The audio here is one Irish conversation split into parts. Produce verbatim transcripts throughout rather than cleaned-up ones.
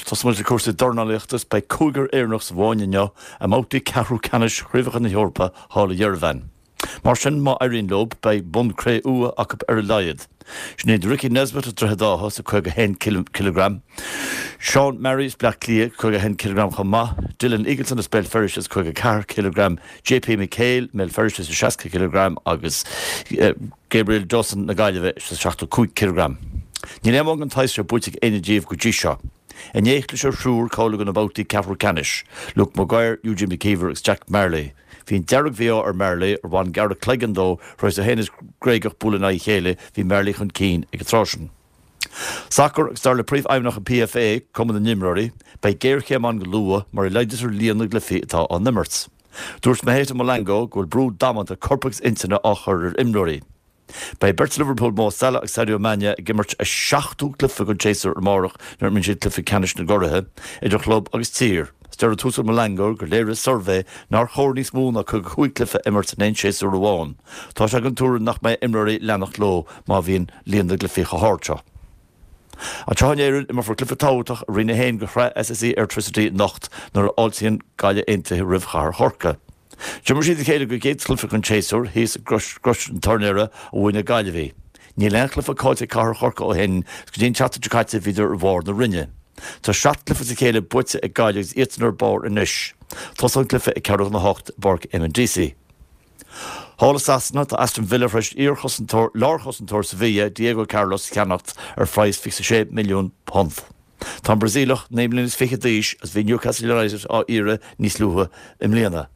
Tosóidh muid le cúrsaí dornálaíochta is beidh cúigear Éireannach sa bhfáinne inniu i mbabhtaí ceathrú ceannais Chraobhacha na hEorpa thall i Yerevan. Mar sin má éiríonn leo beidh bonn cré-umha acu ar a laghad. Sin iad Ricky Nesbitt as Droichead Átha sa caoga haon kilogram, Sean Murray as Bleá Cliath caoga haon kilogram chomh maith, Dylan Eagleson as Béal Feirste sa caoga ceathair kilogram, JP McHale Béal Feirste sa seasca kilogram agus Gabriel Dawson na Gaillimhe sa seachtó cúig kilogram. Níl aon bhonn den tsaghas seo buaite ag éinne díobh go dtí seo. Inné chlis ar thriúr cáiliú do na babhtaí ceathrú ceannais, Luke Maguire, Eugene McKeever agus Jack Marley. Bhí an dearg-mhí-ádh ar Marley ar bhain gearradh cloigeann dó tar éis é féin is Gréagach bualadh in aghaidh a chéile, bhí Marley chun cinn ag an tráth sin. Sacar agus dar le Príomhfheidhmeannach an PFA, Cumann na nImreoirí, beidh géarchéim ann go luath mura laghdaítear líon na gcluichí atá á n-imirt. Dúirt Maheta Molango go bhfuil brú damanta coirp agus intinne á chur ar imreoirí. Beidh beirt Liverpool Mo Salah agus Sadio Mané ag imirt a seachtú cluiche den tséasúr amárach nuair a imríonn siad cluiche ceannais na gcuraithe idir chlub agus tír. Is deir an tUasal Molango gur léirigh suirbhé nár chóir níos mó ná caoga cúig cluiche a imirt in aon séasúr amháin. Tá sé den tuairim nach mbeidh imreoirí ag leanacht leo má bhíonn líon na gcluichí chomh hard seo. Anseo in Éirinn, imreofar cluiche tábhachtach i Roinn a haon de Shraith SSE Airtricity anocht nuair a fháiltíonn Gaillimh Aontaithe roimh Chathair Chorcaí. D'imir siad a chéile don gcéad chluiche den tséasúr thíos i gCrois an Tuairneora a bhuaigh na Gaillimhigh. Níl aon chluiche caillte ag Cathair Chorcaí ó shin agus go dtí an tseachtain seo caite bhíodar ar bharr na roinne. Tá seacht gcluiche as a chéile buaite ag Gaillimh agus iadsan ar barr anois. Tosóidh an cluiche ag ceathrú chun a hocht i bPáirc Eamonn Deacy. Thall i Sasana, tá Aston Villa tar éis iarchosantóir lárchosantóir Sevilla, Diego Carlos, a cheannacht ar phraghas fiche sé milliún punt. Tá an Brasaíleach naoi mbliana is fiche d'aois agus bhí Newcastle United á iarraidh níos luaithe i mbliana.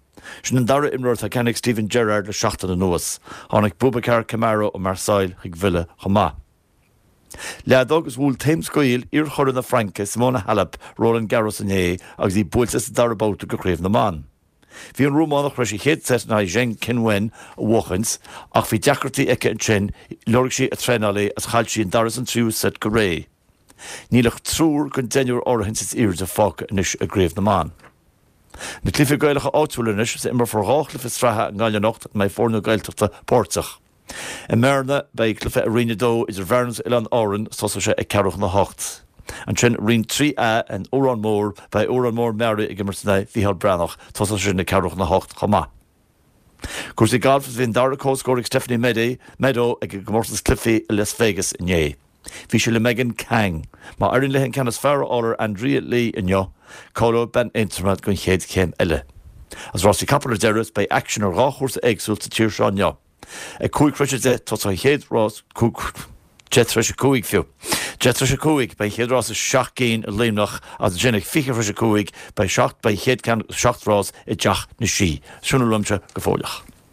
Sin an dara imreoir atá ceannaithe ag Steven Gerrard le seachtain anuas. Tháinig Boubacar Kamara ó Marseille chuig Villa chomh maith. Leadóg agus bhuail taom scaoll iar-churadh na Fraince, Simona Halep, Roland Garros inné agus í buailte sa dara babhta de Chraobh na mBan. Bhí an Rómánach tar éis a chéad seit in aghaidh Zheng Qinwen a bhuachaint ach bhí deacrachtaí aici ansin, lorg sí a traenálaí agus chaill sí an dara is an tríú seit go réidh. Níl ach triúr den deichniúr áirithinte is airde fágtha anois i gCraobh na mBan. Na cluichí Gaelacha áitiúla anois is imreofar dhá chluiche sraithe i nGaillimh anocht ina mbeidh foirne Gaeltachta páirteach. I mBearna, beidh cluiche i Roinn a dó idir Bhearna is Oileáin Árann is tosóidh sé ag ceathrú chun a hocht. Ansin, Roinn trí A in Órán Mór, beidh Órán Mór Meáraí ag imirt in aghaidh Mhícheál Breathnach, tosóidh sé sin ag ceathrú chun a hocht chomh maith. Cúrsaí gailf is bhí an dara comhscór ag Stephanie Meadow ag an gcomórtas cluichí i Las Vegas inné. Bhí sí le Megan Khang. Má éiríonn léi an ceann is fearr a fháil ar Andrea Lee inniu, cáileoidh bean Aontroma don chéad chéim eile. Agus rásaí capall ar deireadh, beidh aicsean ar dhá chúrsa éagsúil sa tír seo inniu. Ag cúig tar éis a deich tosóidh an chéad rás, deich tar éis a cúig fiú. Deich tar éis a cúig beidh an chéad rás i seacht gcinn i Luimneach agus ansin ag fiche tar éis a cúig beidh seacht beidh an chéad ceann seacht rás i dTeach na Sí. Sin a bhfuil uaimse go fóilleach.